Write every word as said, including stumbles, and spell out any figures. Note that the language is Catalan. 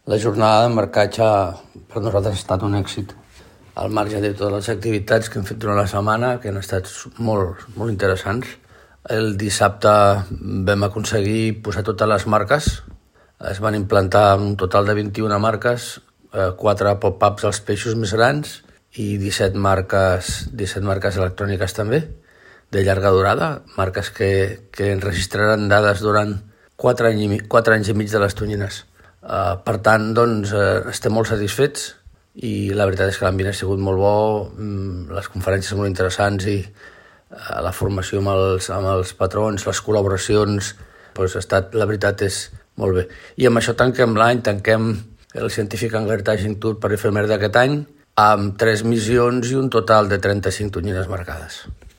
La jornada de marcatge per nosaltres ha estat un èxit. Al marge de totes les activitats que hem fet durant la setmana, que han estat molt, molt interessants. El dissabte vam aconseguir posar totes les marques. Es van implantar un total de vint-i-una marques, quatre pop-ups als peixos més grans i disset marques, disset marques electròniques també, de llarga durada, marques que, que enregistraran dades durant quatre anys, quatre anys i mig de les tonyines. Uh, per tant, doncs, uh, estem molt satisfets i la veritat és que l'ambient ha sigut molt bo, um, les conferències molt interessants i uh, la formació amb els, amb els patrons, les col·laboracions, doncs ha estat, la veritat és molt bé. I amb això tanquem l'any, tanquem el Scientific Angler Tagging Tour per efemer d'aquest any amb tres missions i un total de trenta-cinc tonyines marcades.